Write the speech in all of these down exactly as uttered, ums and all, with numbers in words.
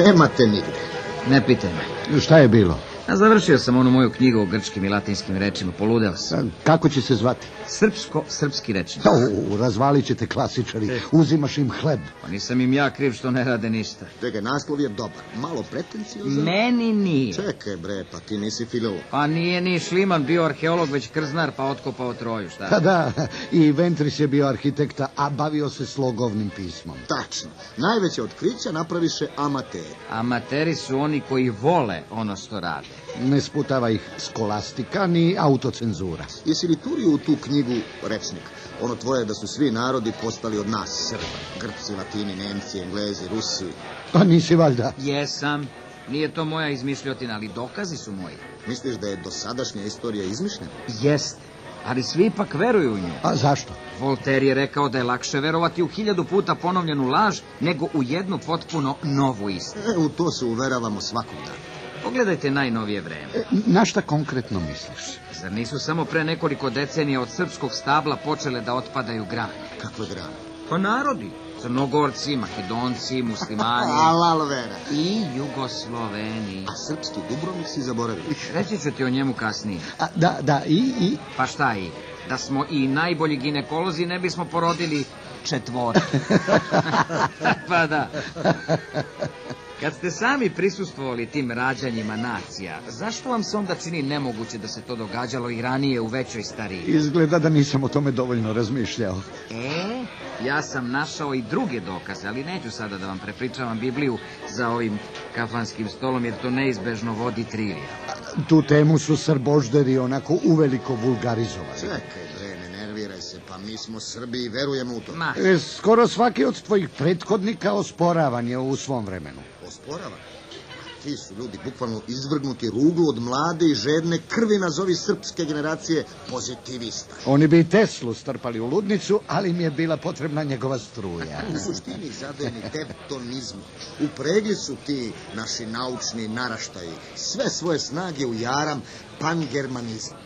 Nemate nigde. Ne pitaj me. Šta je bilo? A završio sam onu moju knjigu o grčkim i latinskim rečima, poludeo sam. Kako će se zvati? Srpsko-srpski rečnik. O, razvalit ćete klasičari, uzimaš im hleb. Pa nisam im ja kriv što ne rade ništa. Čekaj, naslov je dobar, malo pretenciozan. Meni nije. Čekaj bre, pa ti nisi filolog. Pa nije ni Šliman bio arheolog, već krznar, pa otkopao Troju, šta? Pa da, i Ventris je bio arhitekta, a bavio se slogovnim pismom. Tačno, najveće otkrića napraviše amateri. Amateri su oni koji vole ono što rade. Ne sputava ih skolastika ni autocenzura. Jesi li turio u tu knjigu rečnik? Ono tvoje da su svi narodi postali od nas Srba. Grci, Latini, Nemci, Englezi, Rusi. Pa nisi valjda? Jesam. Nije to moja izmišljotina, ali dokazi su moji. Misliš da je dosadašnja istorija izmišljena? Jeste. Ali svi ipak veruju u nju. A zašto? Voltaire je rekao da je lakše verovati u hiljadu puta ponovljenu laž nego u jednu potpuno novu istinu. E, u to se uveravamo svakog dana. Pogledajte najnovije vreme. E, na šta konkretno misliš? Zar nisu samo pre nekoliko decenija od srpskog stabla počele da otpadaju grane? Kakve grane? Pa narodi. Crnogorci, Makedonci, Muslimani. Alal vera. I Jugosloveni. A srpski Dubrovnik si zaboravio. Reći ću ti o njemu kasnije. A, da, da, i, i? Pa šta i? Da smo i najbolji ginekolozi ne bismo porodili četvora. Pa da. Kad ste sami prisustvovali tim rađanjima nacija, zašto vam se onda čini nemoguće da se to događalo i ranije u većoj stariji? Izgleda da nisam o tome dovoljno razmišljao. E, ja sam našao i druge dokaze, ali neću sada da vam prepričavam Bibliju za ovim kafanskim stolom, jer to neizbežno vodi trilija. Tu temu su srbožderi onako uveliko vulgarizovali. Čekaj, bre, ne nerviraj se, pa mi smo Srbi i verujemo u to. Ma. E, skoro svaki od tvojih prethodnika osporavan je u svom vremenu. Osporava? Ti su ljudi bukvalno izvrgnuti ruglu od mlade i žedne krvi, nazovi srpske generacije pozitivista. Oni bi i Teslu strpali u ludnicu, ali im je bila potrebna njegova struja. U suštini zadojeni tevtonizmu. Upregli su ti naši naučni naraštaji sve svoje snage u jaram pangermanizma.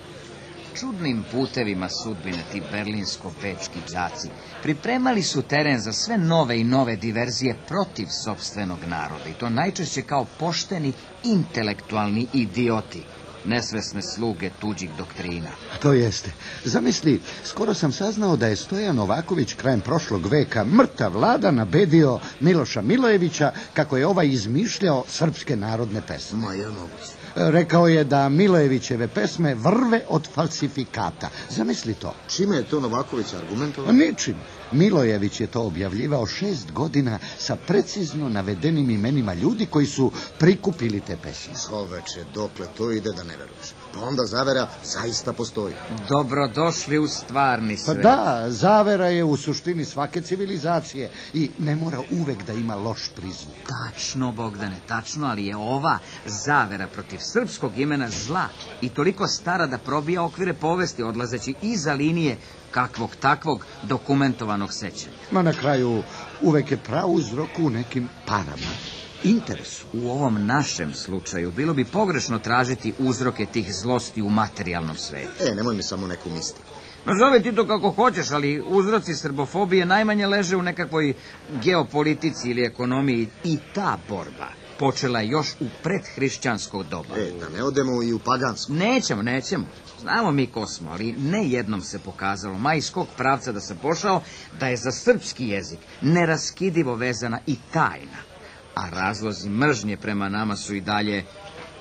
Čudnim putevima sudbine ti berlinsko-bečki đaci pripremali su teren za sve nove i nove diverzije protiv sopstvenog naroda i to najčešće kao pošteni intelektualni idioti, nesvesne sluge tuđih doktrina. To jeste. Zamisli, skoro sam saznao da je Stojan Novaković krajem prošlog veka mrtav vlada nabedio Miloša Milojevića kako je ovaj izmišljao srpske narodne pesme. Ma je moguće. Rekao je da Milojevićeve pesme vrve od falsifikata. Zamisli to. Čime je to Novaković argumentovao? Ničim. Milojević je to objavljivao šest godina sa precizno navedenim imenima ljudi koji su prikupili te pesme. Čoveče, dokle to ide da ne veruješ. Pa onda zavera zaista postoji. Dobrodošli u stvarni Pa svet. da, zavera je u suštini svake civilizacije i ne mora uvek da ima loš prizvuk. Tačno, Bogdane, tačno, ali je ova zavera protiv srpskog imena zla i toliko stara da probija okvire povesti, odlazeći iza linije kakvog takvog dokumentovanog sećanja. Ma na kraju uvek je prauzrok u nekim parama, interesu. U ovom našem slučaju bilo bi pogrešno tražiti uzroke tih zlosti u materijalnom svetu. E, nemoj mi samo neku mistiku. Nazove ti to kako hoćeš, ali uzroci srbofobije najmanje leže u nekakvoj geopolitici ili ekonomiji i ta borba počela je još u predhrišćanskog doba. E, da ne odemo i u pagansko. Nećemo, nećemo. Znamo mi ko smo, ali ne jednom se pokazalo, ma iz kog pravca da sam pošao, da je za srpski jezik neraskidivo vezana i tajna. A razlozi mržnje prema nama su i dalje,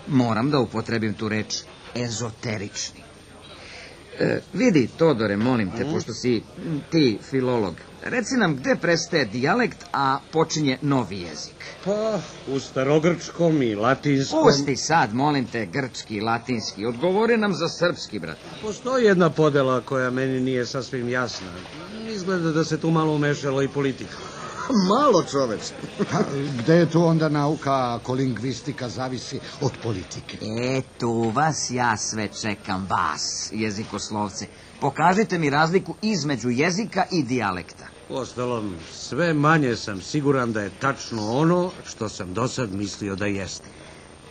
moram da upotrebim tu reč, ezoterični. E, vidi, Todore, molim te, pošto si ti filolog, reci nam gde prestaje dijalekt, a počinje novi jezik. Pa, u starogrčkom i latinskom... Pusti sad, molim te, grčki, latinski, odgovori nam za srpski, brate. Postoji jedna podela koja meni nije sasvim jasna. Izgleda da se tu malo umešala i politika. Malo, čoveč. Pa, gde je tu onda nauka ako lingvistika zavisi od politike? E, tu vas ja sve čekam, vas, jezikoslovce. Pokažite mi razliku između jezika i dijalekta. Uostalom, sve manje sam siguran da je tačno ono što sam do sad mislio da jeste.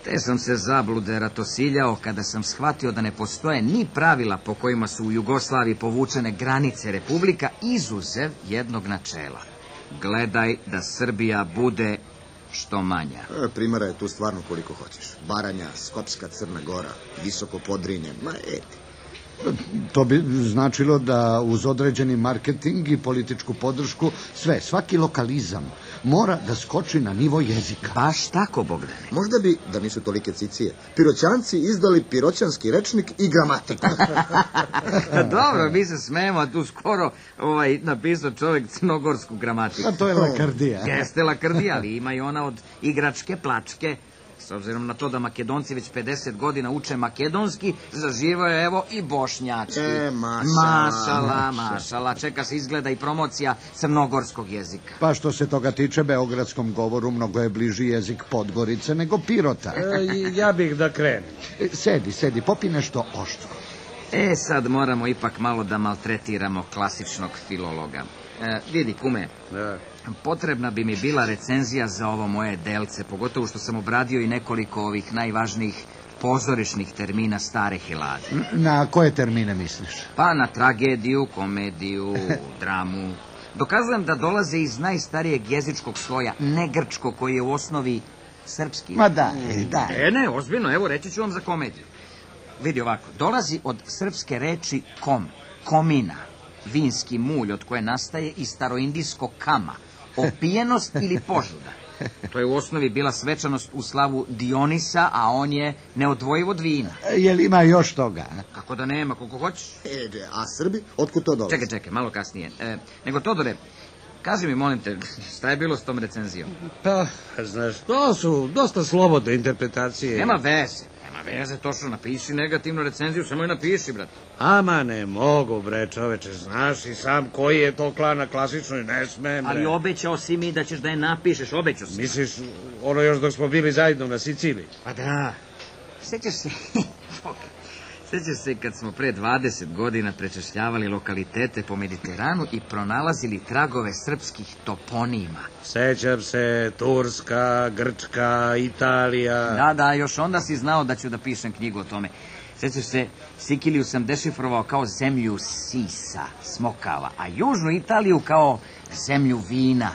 Te sam se zablude ratosiljao kada sam shvatio da ne postoje ni pravila po kojima su u Jugoslaviji povučene granice republika, izuzev jednog načela. Gledaj da Srbija bude što manja. E, primjera je tu stvarno koliko hoćeš. Baranja, Skopska, Crna Gora, Visoko Podrinje, ma eti. To bi značilo da uz određeni marketing i političku podršku sve, svaki lokalizam mora da skoči na nivo jezika. Baš tako, Bogdane. Možda bi, da nisu tolike cicije, Piroćanci izdali piroćanski rečnik i gramatiku. Dobro, mi se smijemo, a tu skoro ovaj, napisao čovjek crnogorsku gramatiku. A to je lakrdija. Jeste lakrdija, ali ima i ona od igračke plačke. S obzirom na to da Makedonci već pedeset godina uče makedonski, zaživao je evo i bošnjački. E, mašala. Mašala, mašala. Čeka se izgleda i promocija crnogorskog jezika. Pa što se toga tiče, beogradskom govoru mnogo je bliži jezik Podgorice nego Pirota. E, ja bih da krenem. E, Sedi, sedi, popi nešto oštro. E, sad moramo ipak malo da maltretiramo klasičnog filologa. E, vidi, kume, Da. potrebna bi mi bila recenzija za ovo moje delce, pogotovo što sam obradio i nekoliko ovih najvažnijih pozorišnih termina stare Helade. Na koje termine misliš? Pa na tragediju, komediju, dramu. Dokazujem da dolaze iz najstarijeg jezičkog sloja, ne grčko, koji je u osnovi srpski. Ma da, da. E, ne, ozbiljno, evo reći ću vam za komediju. Vidi ovako, dolazi od srpske reči kom, komina, vinski mulj od koje nastaje i staroindijsko kama, opijenost ili požuda. To je u osnovi bila svečanost u slavu Dionisa, a on je neodvojiv od vina. Jel ima još toga? Kako da nema, koliko hoćeš? E, a Srbi, otkud to dolazi? Čekaj, čekaj, malo kasnije. E, nego, Todore, kaži mi, molim te, šta je bilo s tom recenzijom? Pa, znaš, to su dosta slobodne interpretacije. Nema veze, nema veze, to što napiši negativnu recenziju, samo je napiši, brate. Ama ne mogu, bre, čoveče, znaš i sam koji je to klan na klasičnoj, ne smem, bre. Ali obećao si mi da ćeš da je napišeš, obećao si. Misliš, ono još dok smo bili zajedno na Siciliji? Pa da, sjećaš se, sjećaš se kad smo pre dvadeset godina prečešljavali lokalitete po Mediteranu i pronalazili tragove srpskih toponima. Sećam se, Turska, Grčka, Italija... Da, da, još onda si znao da ću da pišem knjigu o tome. Sjećaš se, Sikiliju sam dešifrovao kao zemlju sisa, smokava, a južnu Italiju kao zemlju vina,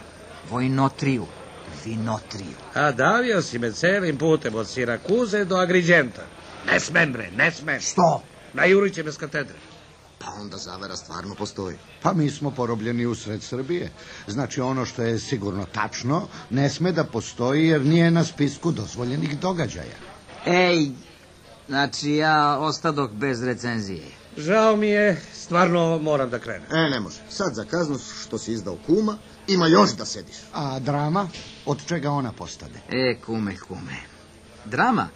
vojnotriju, vinotriju. A davio si me celim putem od Sirakuze do Agriđenta. Ne smem, bre, ne smem. Što? Najurit će me s katedre. Pa onda zavera stvarno postoji. Pa mi smo porobljeni usred Srbije. Znači ono što je sigurno tačno ne sme da postoji jer nije na spisku dozvoljenih događaja. Ej, znači ja ostadoh bez recenzije. Žao mi je, stvarno moram da krenem. E, ne može. Sad za kaznu što si izdao kuma, ima još da sediš. A drama? Od čega ona postade? E, kume, kume. Drama?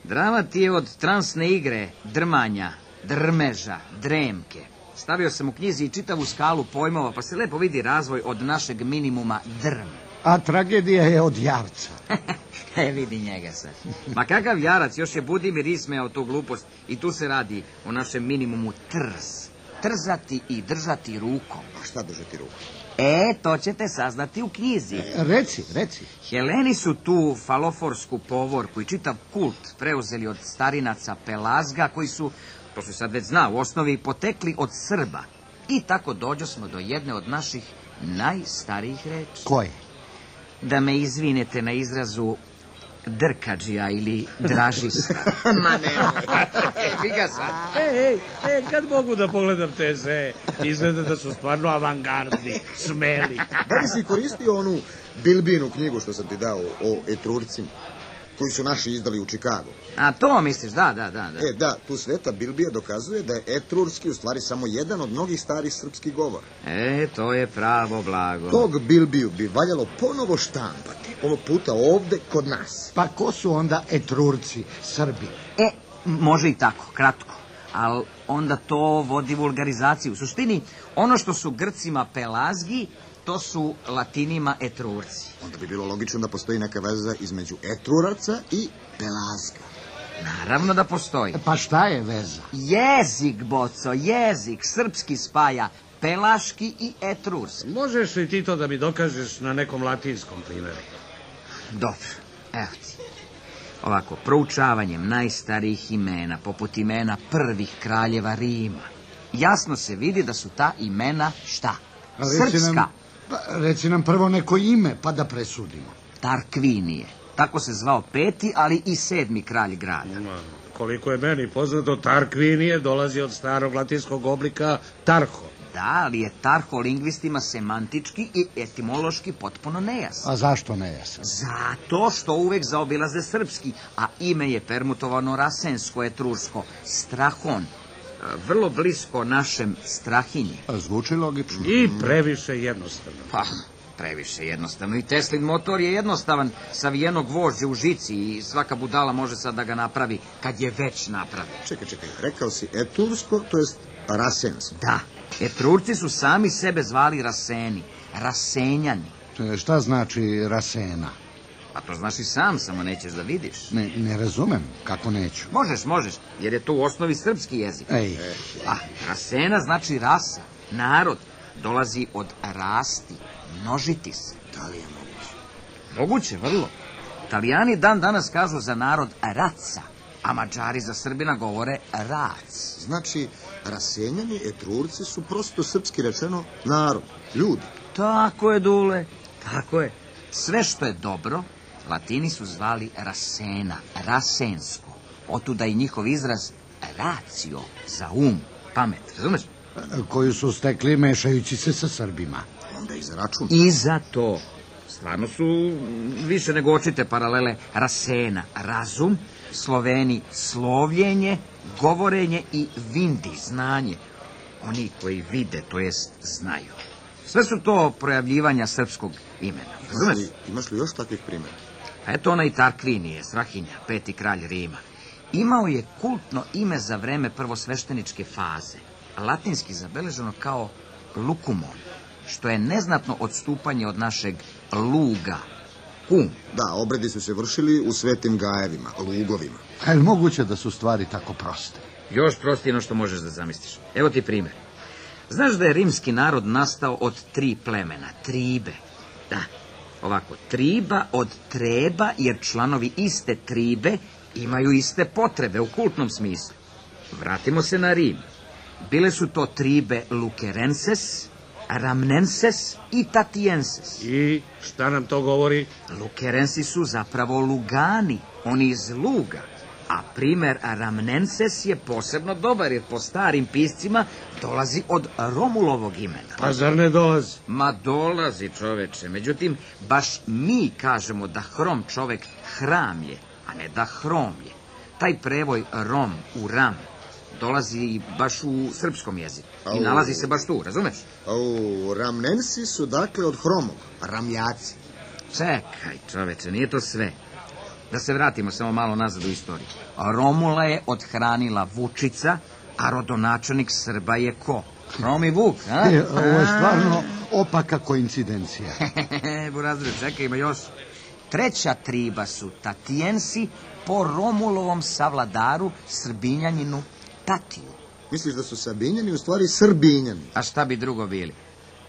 Drama ti je od transne igre, drmanja, drmeža, dremke. Stavio sam u knjizi i čitavu skalu pojmova, pa se lepo vidi razvoj od našeg minimuma drm. A tragedija je od javca. E, vidi njega sad. Ma kakav jarac, još je Budimir ismejao tu glupost i tu se radi o našem minimumu trz. Trzati i držati rukom. A šta držati ruku? E, to ćete saznati u knjizi. Reci, reci. Heleni su tu faloforsku povorku i čitav kult preuzeli od starinaca Pelazga, koji su, to se sad već zna, u osnovi potekli od Srba. I tako dođo smo do jedne od naših najstarijih reči. Koje? Da me izvinete na izrazu drkađija ili dražista. Ma ne. Figa sad. Ej, ej, ej, kad mogu da pogledam te sve? Izgleda da su stvarno avangardni, smeli. Da li si koristio onu Bilbinu knjigu što sam ti dao o Etrurcima, koji su naši izdali u Čikagu? A to misliš, da, da, da. da. E, da, tu Sveta Bilbija dokazuje da je etrurski u stvari samo jedan od mnogih starih srpskih govora. E, to je pravo blago. Tog Bilbiju bi valjalo ponovo štampati, ovog puta ovde kod nas. Pa ko su onda Etrurci, Srbi? E, može i tako, kratko. Ali onda to vodi vulgarizaciju. U suštini, ono što su Grcima Pelazgi, to su Latinima Etrurci. Onda bi bilo logično da postoji neka veza između Etruraca i Pelazga. Naravno da postoji. Pa šta je veza? Jezik, Boco, jezik, srpski spaja Pelaški i Etrurski. Možeš li ti to da mi dokažeš na nekom latinskom primjeru? Dobro, evo ti. Ovako, proučavanjem najstarijih imena, poput imena prvih kraljeva Rima, jasno se vidi da su ta imena šta? A reci Srpska. nam, pa, reci nam prvo neko ime, pa da presudimo. Tarkvinije. Tako se zvao peti, ali i sedmi kralj grada. Ma, koliko je meni poznato, Tarkvinije dolazi od starog latinskog oblika Tarho. Da, ali je Tarho lingvistima semantički i etimološki potpuno nejasan. A zašto nejasan? Zato što uvek zaobilaze srpski, a ime je permutovano rasensko, etruško, Strahon, vrlo blisko našem Strahinji. Zvuči logično. I previše jednostavno. Pa, previše jednostavno. I Teslin motor je jednostavan, savijenog gvožđa u žici i svaka budala može sad da ga napravi kad je već napravi. Čekaj, čekaj, rekao si etursko, to jest rasensko. Da, Etrurci su sami sebe zvali Raseni, Rasenjani. E, Šta znači rasena? Pa to znaš i sam, samo nećeš da vidiš. Ne, ne razumem, kako neću. Možeš, možeš, jer je to u osnovi srpski jezik. Ej, A, Rasena znači rasa, narod, dolazi od rasti, množiti se. Da li je moguće? Moguće, vrlo. Italijani dan danas kažu za narod raca, a Mađari za Srbina govore rac. Znači, rasenjani etrurci su prosto srpski rečeno narod, ljudi. Tako je, Dule, tako je. Sve što je dobro, Latini su zvali rasena, rasensko. Otuda i njihov izraz racio, za um, pamet, razumeš? koju su stekli mešajući se sa Srbima. Onda i za račun. I za to. Stvarno su više nego očite paralele rasena, razum, Sloveni slovljenje, govorenje i vindi, znanje. Oni koji vide, to jest znaju. Sve su to projavljivanja srpskog imena. Imaš li, imaš li još takvih primjera? A eto onaj Tarkvinije, Strahinja, peti kralj Rima. Imao je kultno ime za vreme prvosvešteničke faze, latinski zabeleženo kao lukumon, što je neznatno odstupanje od našeg luga, kum. Da, obredi su se vršili u svetim gajevima, lugovima. A je li moguće da su stvari tako proste? Još prostije no što možeš da zamisliš. Evo ti primjer. Znaš da je rimski narod nastao od tri plemena, tribe. Da, ovako, triba od treba, jer članovi iste tribe imaju iste potrebe u kultnom smislu. Vratimo se na Rim. Bile su to tribe Lukerenses, Ramnenses i Tatienses. I šta nam to govori? Lukerensi su zapravo Lugani, oni iz Luga. A primer Ramnenses je posebno dobar, jer po starim piscima dolazi od Romulovog imena. Pa zar ne dolazi? Ma dolazi, čoveče. Međutim, baš mi kažemo da hrom čovek hramlje, a ne da hromlje. Taj prevoj rom u ram dolazi baš u srpskom jeziku. I nalazi se baš tu, razumeš? Au, Ramnensi su dakle od hromog, ramljaci. Čekaj, čoveče, nije to sve. Da se vratimo samo malo nazad u istoriju. Romula je odhranila Vučica, a rodonačelnik Srba je ko? Hromi Vuk, a? E, ovo je stvarno opaka koincidencija. Burazre, čekaj, ima još. Treća triba su Tatijensi po Romulovom savladaru Srbinjaninu Tatiju. Misliš da su Sabinjani u stvari Srbinjani? A šta bi drugo bili?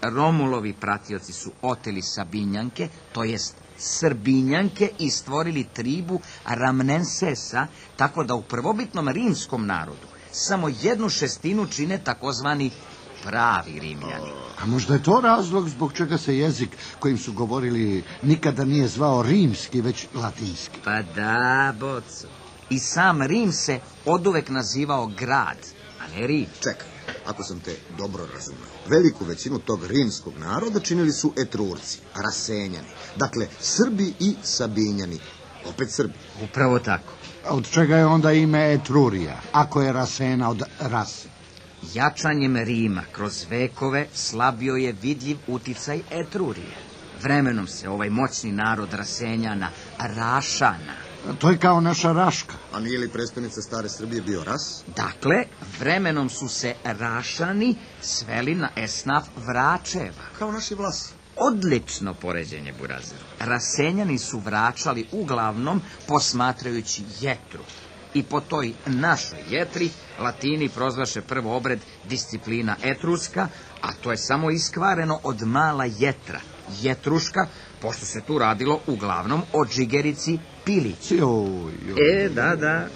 Romulovi pratioci su oteli Sabinjanke, to jest Srbinjanke, i stvorili tribu Ramnensesa, tako da u prvobitnom rimskom narodu samo jednu šestinu čine takozvani pravi Rimljani. A možda je to razlog zbog čega se jezik kojim su govorili nikada nije zvao rimski, već latinski. Pa da, boco. I sam Rim se oduvek nazivao grad, a ne Rim. Čekaj, ako sam te dobro razumeo, veliku većinu tog rimskog naroda činili su Etrurci, Rasenjani. Dakle, Srbi i Sabinjani. Opet Srbi. Upravo tako. A od čega je onda ime Etrurija, ako je Rasena od rase? Jačanjem Rima kroz vekove slabio je vidljiv uticaj Etrurije. Vremenom se ovaj moćni narod Rasenjana, Rašana, To je kao naša Raška. A nije li prestonica stare Srbije bio Ras? dakle, vremenom su se Rašani sveli na esnaf Vračeva. Kao naši Vlasi. Odlično poređenje, Burazeru. Rasenjani su vraćali uglavnom posmatrajući jetru. I po toj našoj jetri Latini prozvaše prvo obred disciplina etruska, a to je samo iskvareno od mala jetra, jetruška, pošto se tu radilo uglavnom o džigerici pilić. Joj, joj. E, da, da.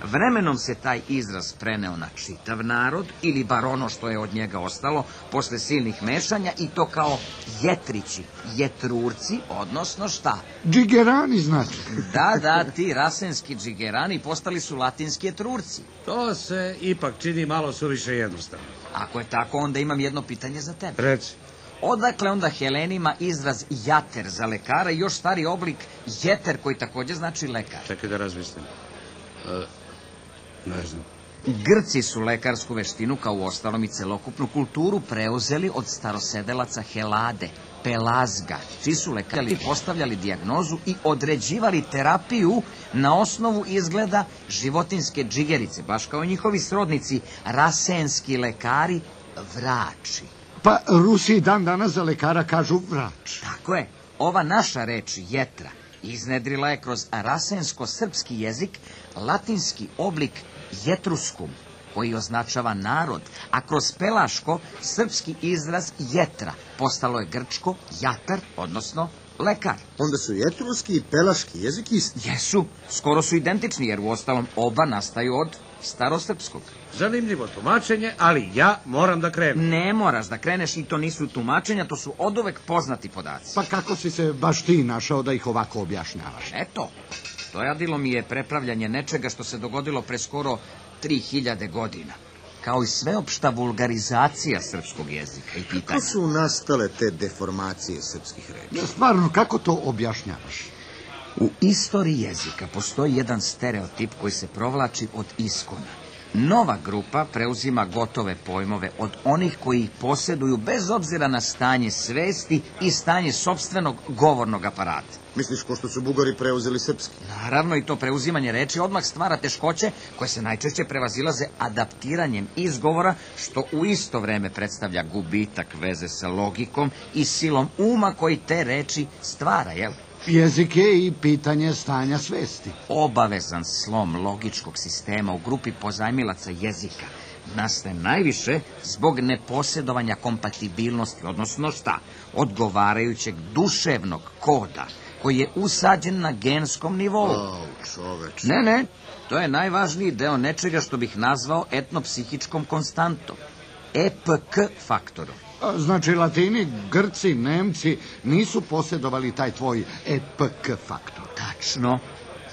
Vremenom se taj izraz preneo na čitav narod, ili bar ono što je od njega ostalo, posle silnih mešanja, i to kao jetrići, jetrurci, odnosno šta? Džigerani, znači. Da, da, ti rasenski džigerani postali su latinski jetrurci. To se ipak čini malo suviše jednostavno. Ako je tako, onda imam jedno pitanje za tebe. Reci. Odakle onda Helenima izraz jater za lekara i još stari oblik jeter koji također znači lekar? Čekaj da razmislim. E, ne znam. Grci su lekarsku veštinu, kao u ostalom i celokupnu kulturu, preuzeli od starosedelaca Helade, Pelazga, čiji su lekari postavljali dijagnozu i određivali terapiju na osnovu izgleda životinske džigerice, baš kao njihovi srodnici, rasenski lekari, vrači. Pa Rusi dan danas za lekara kažu vrač. Tako je, ova naša reč jetra iznedrila je kroz rasensko-srpski jezik latinski oblik jetruskum, koji označava narod, a kroz pelaško srpski izraz jetra postalo je grčko jatar, odnosno lekar. Onda su i etruski i pelaški jezik isti. Jesu, skoro su identični, jer u ostalom oba nastaju od starosrpskog. Zanimljivo tumačenje, ali ja moram da krenem. Ne moraš da kreneš, i to nisu tumačenja, to su oduvek poznati podaci. Pa kako si se baš ti našao da ih ovako objašnjavaš? Eto, dojadilo mi je prepravljanje nečega što se dogodilo pre skoro tri hiljade godina, kao i sveopšta vulgarizacija srpskog jezika i pitanja. Kako su nastale te deformacije srpskih reči? Ja, stvarno, kako to objašnjavaš? U istoriji jezika postoji jedan stereotip koji se provlači od iskona. Nova grupa preuzima gotove pojmove od onih koji ih posjeduju bez obzira na stanje svesti i stanje sopstvenog govornog aparata. Misliš ko što su Bugari preuzeli srpski? Naravno, i to preuzimanje reči odmah stvara teškoće koje se najčešće prevazilaze adaptiranjem izgovora, što u isto vreme predstavlja gubitak veze sa logikom i silom uma koji te reči stvara, jel? Jezik je i pitanje stanja svesti. Obavezan slom logičkog sistema u grupi pozajmilaca jezika nastaje najviše zbog neposjedovanja kompatibilnosti, odnosno šta? Odgovarajućeg duševnog koda koji je usađen na genskom nivou. O, čoveč. Ne, ne, to je najvažniji deo nečega što bih nazvao etnopsihičkom konstantom, E P K faktorom. Znači, Latini, Grci, Nemci nisu posjedovali taj tvoj E P K faktor. Tačno.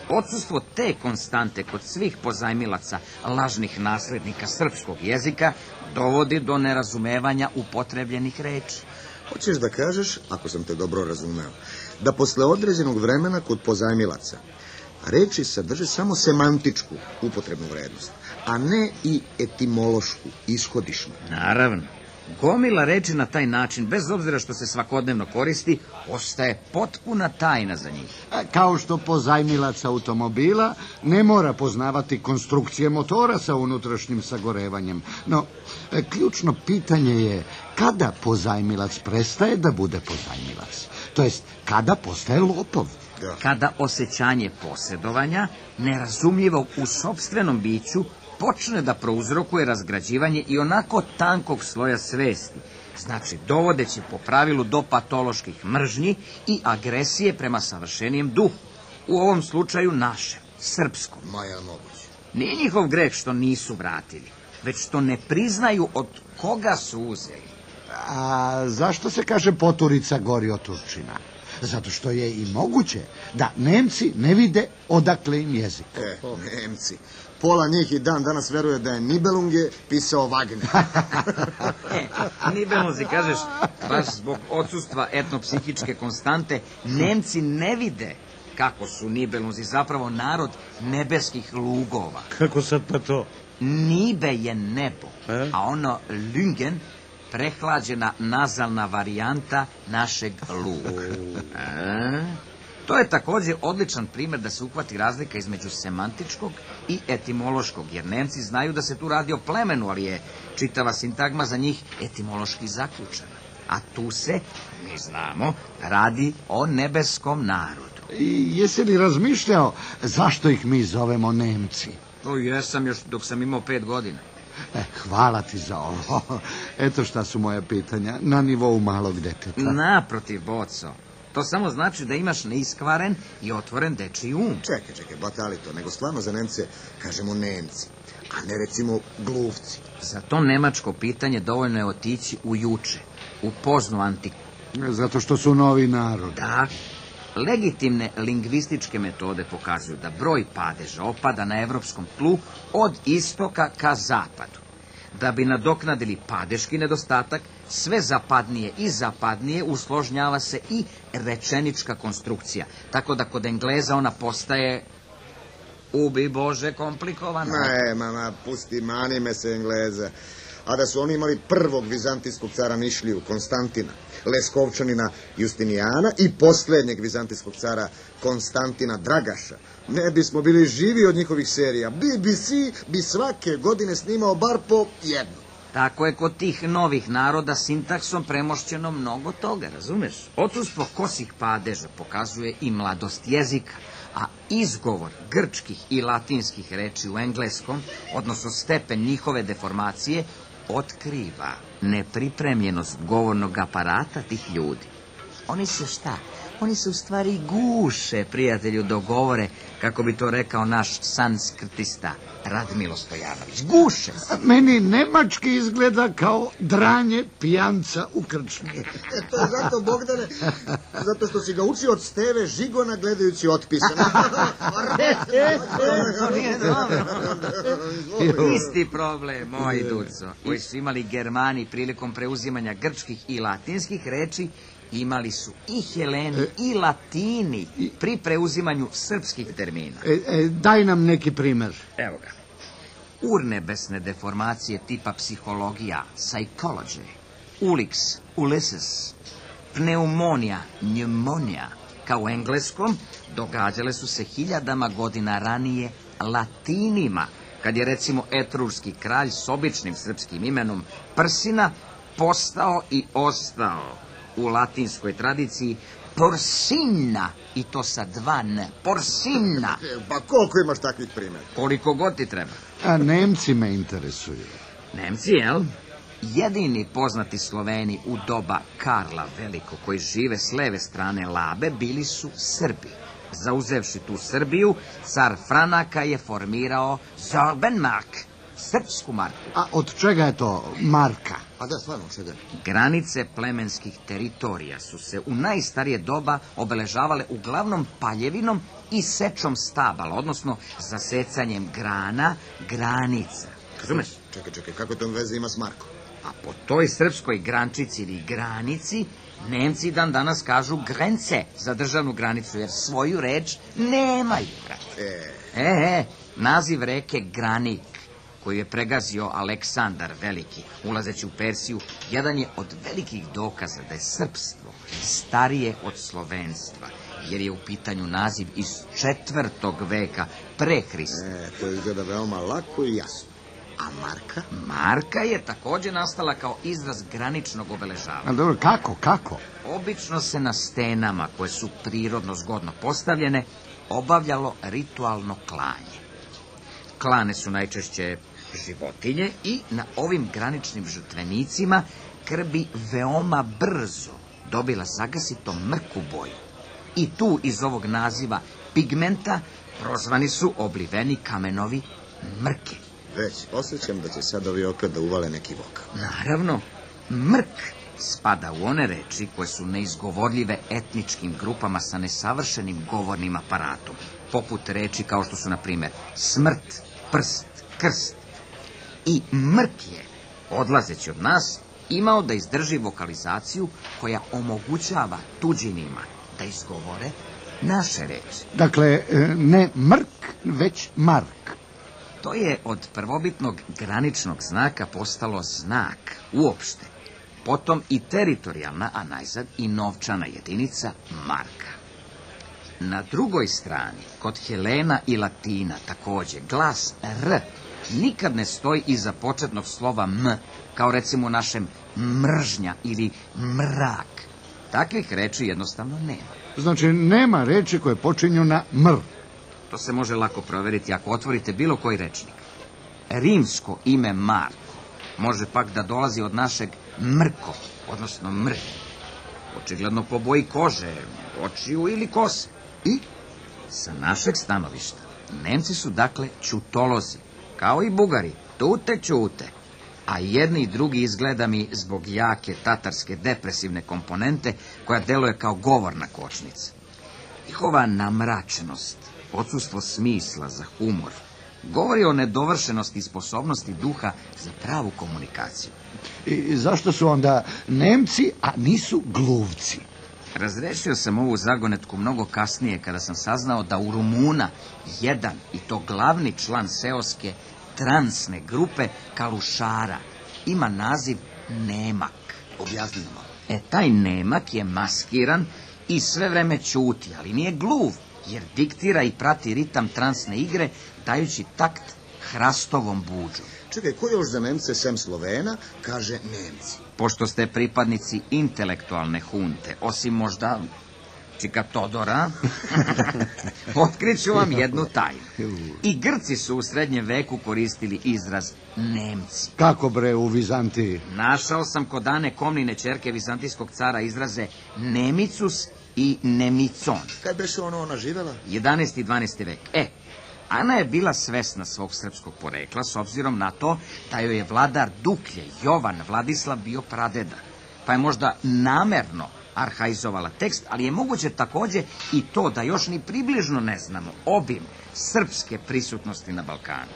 Odsustvo te konstante kod svih pozajmilaca lažnih naslednika srpskog jezika dovodi do nerazumevanja upotrebljenih reči. Hoćeš da kažeš, ako sam te dobro razumeo, da posle određenog vremena kod pozajmilaca reči sadrže samo semantičku upotrebnu vrednost, a ne i etimološku, ishodišnu. Naravno. Gomila reči na taj način, bez obzira što se svakodnevno koristi, ostaje potpuna tajna za njih. Kao što pozajmilac automobila ne mora poznavati konstrukcije motora sa unutrašnjim sagorevanjem. No, ključno pitanje je kada pozajmilac prestaje da bude pozajmilac. To jest, kada postaje lopov. Da. Kada osjećanje posjedovanja, nerazumljivo u sopstvenom biću, počne da prouzrokuje razgrađivanje i onako tankog sloja svesti, znači dovodeći po pravilu do patoloških mržnji i agresije prema savršenijem duhu, u ovom slučaju našem, srpskom. Maja moguće. Nije njihov greh što nisu vratili, već što ne priznaju od koga su uzeli. A zašto se kaže poturica gori od Turčina? Zato što je i moguće da Nemci ne vide odakle im jezik. E, Nemci. Pola njih i dan danas veruje da je Nibelunge pisao Wagner. E, Nibelunzi, kažeš, baš zbog odsustva etnopsihičke konstante, Nemci ne vide kako su Nibelunzi zapravo narod nebeskih lugova. Kako sad pa to? Nibe je nebo, E? a ono Lüngen prehlađena nazalna varijanta našeg luga. E? To je također odličan primjer da se uhvati razlika između semantičkog i etimološkog, jer Nemci znaju da se tu radi o plemenu, ali je čitava sintagma za njih etimološki zaključena. A tu se, mi znamo, radi o nebeskom narodu. I jesi li razmišljao zašto ih mi zovemo Nemci? To jesam još dok sam imao pet godina. E, hvala ti za ovo. Eto šta su moja pitanja na nivou malog deteta. Naprotiv, Boco. To samo znači da imaš neiskvaren i otvoren dečiji um. Čekaj, čekaj, batali to, nego stvarno za Nemce kažemo Nemci, a ne recimo gluvci. Za to nemačko pitanje dovoljno je otići u juče, u poznu antiku. Zato što su novi narod. Da, legitimne lingvističke metode pokazuju da broj padeža opada na evropskom tlu od istoka ka zapadu. Da bi nadoknadili padeški nedostatak, sve zapadnije i zapadnije usložnjava se i rečenička konstrukcija. Tako da kod Engleza ona postaje, ubi Bože, komplikovana. Ne, mama, pusti, mani me se Engleza. A da su oni imali prvog vizantijskog cara Nišliju, Konstantina, Leskovčanina Justinijana i posljednjeg vizantijskog cara Konstantina Dragaša, ne bismo bili živi od njihovih serija. B B C bi svake godine snimao bar po jednu. Tako je kod tih novih naroda sintaksom premošćeno mnogo toga, razumeš? Odsustvo kosih padeža pokazuje i mladost jezika, a izgovor grčkih i latinskih reči u engleskom, odnosno stepen njihove deformacije, otkriva nepripremljenost govornog aparata tih ljudi. Oni se šta? Oni se u stvari guše, prijatelju, dogovore, kako bi to rekao naš sanskrtista Radmilo Stojanović. Guše se. Meni nemački izgleda kao dranje pijanca u krčmi. To je zato, Bogdane, zato što si ga učio od Steve Žigona gledajući otpise. To nije dobro. Isti problem, moj Duco, koji su imali Germani prilikom preuzimanja grčkih i latinskih reči, imali su i Heleni i Latini pri preuzimanju srpskih termina. E, e, daj nam neki primer. Evo ga. Urnebesne deformacije tipa psihologija, psychology, ulix, ulysses, pneumonija, pneumonija, kao u engleskom, događale su se hiljadama godina ranije Latinima, kad je recimo etrurski kralj s običnim srpskim imenom Prsina postao i ostao u latinskoj tradiciji Porsina, i to sa dva n, Porsina. Pa koliko imaš takvih primjera? Koliko god ti treba. A Nemci me interesuju. Nemci, jel? Jedini poznati Sloveni u doba Karla Velikog, koji žive s leve strane Labe, bili su Srbi. Zauzevši tu Srbiju, car Franaka je formirao Zorbenmark, srpsku marku. A od čega je to marka? A da, stvarno, čega? Granice plemenskih teritorija su se u najstarije doba obeležavale uglavnom paljevinom i sečom stabala, odnosno zasecanjem grana, granica. Razumeš? Čekaj, čekaj, kako to veze ima s Markom? A po toj srpskoj grančici ili granici, Nemci dan danas kažu grence za državnu granicu, jer svoju reč nemaju. E, E, e, naziv reke Granik, koju je pregazio Aleksandar Veliki, ulazeći u Persiju, jedan je od velikih dokaza da je srpstvo starije od slovenstva, jer je u pitanju naziv iz četvrtog veka pre Hrista. e, to izgleda veoma lako i jasno. A Marka? Marka je također nastala kao izraz graničnog obeležavanja. A dobro, kako, kako? Obično se na stenama, koje su prirodno zgodno postavljene, obavljalo ritualno klanje. Klane su najčešće životinje i na ovim graničnim žrtvenicima krv bi veoma brzo dobila zagasito mrku boju. I tu iz ovog naziva pigmenta prozvani su obliveni kamenovi mrke. Već osjećam da će sad ovi opet da uvale neki vokal. Naravno, mrk spada u one reči koje su neizgovorljive etničkim grupama sa nesavršenim govornim aparatom, poput reči kao što su, na primjer, smrt, prst, krst. I mrk je, odlazeći od nas, imao da izdrži vokalizaciju koja omogućava tuđinima da izgovore naše reči. Dakle, ne mrk, već mark. To je od prvobitnog graničnog znaka postalo znak uopšte, potom i teritorijalna, a najzad i novčana jedinica marka. Na drugoj strani, kod Helena i Latina također, glas R nikad ne stoji iza početnog slova M, kao recimo u našem mržnja ili mrak. Takvih reči jednostavno nema. Znači, nema reči koje počinju na mr. To se može lako provjeriti ako otvorite bilo koji rečnik. Rimsko ime Marko može pak da dolazi od našeg Mrko, odnosno mr. očigledno po boji kože, očiju ili kose. I? Sa našeg stanovišta, Nemci su dakle ćutolozi, kao i Bugari, tute ćute. A jedni i drugi izgleda mi zbog jake tatarske depresivne komponente koja deluje kao govorna kočnica. Njihova namračenost, odsustvo smisla za humor, govori o nedovršenosti i sposobnosti duha za pravu komunikaciju. I zašto su onda Nemci, a nisu gluvci? Razrešio sam ovu zagonetku mnogo kasnije kada sam saznao da u Rumuna jedan, i to glavni član seoske transne grupe Kalušara, ima naziv Nemak. Objasni nam. E, taj Nemak je maskiran i sve vreme ćuti, ali nije gluv, jer diktira i prati ritam transne igre, dajući takt hrastovom buđu. Čekaj, ko još za Nemce sem Slovena kaže Nemci? Pošto ste pripadnici intelektualne hunte, osim možda Čika Todora, otkriću vam jednu tajnu. I Grci su u srednjem veku koristili izraz Nemci. Kako bre u Vizantiji? Našao sam kod Ane Komnine ćerke vizantijskog cara izraze Nemicus i Nemicon. Kad beše ono ona živela? jedanaesti i dvanaesti vek. E, Ana je bila svesna svog srpskog porekla s obzirom na to da joj je vladar Duklje, Jovan Vladislav, bio pradeda. Pa je možda namerno arhaizovala tekst, ali je moguće takođe i to da još ni približno ne znamo obim srpske prisutnosti na Balkanu.